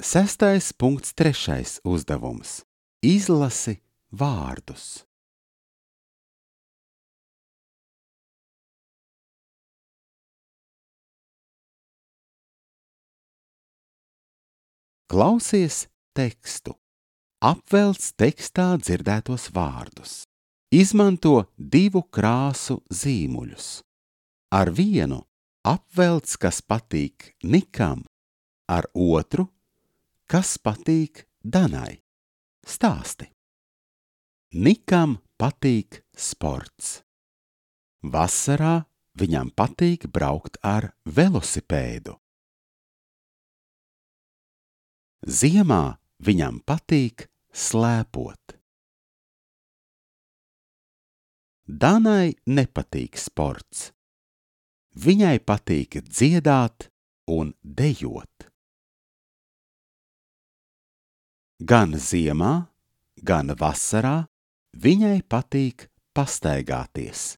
6.3. uzdevums. Izlasi vārdus. Klausies tekstu. Apvelc tekstā dzirdētos vārdus. Izmanto 2 krāsu zīmuļus. Ar vienu apvelc, kas patīk Nikam, ar otru, kas patīk Danai. Stāsti. Nikam patīk sports. Vasarā viņam patīk braukt ar velosipēdu. Ziemā viņam patīk slēpot. Danai nepatīk sports. Viņai patīk dziedāt un dejot. Gan ziemā, gan vasarā viņai patīk pastaigāties.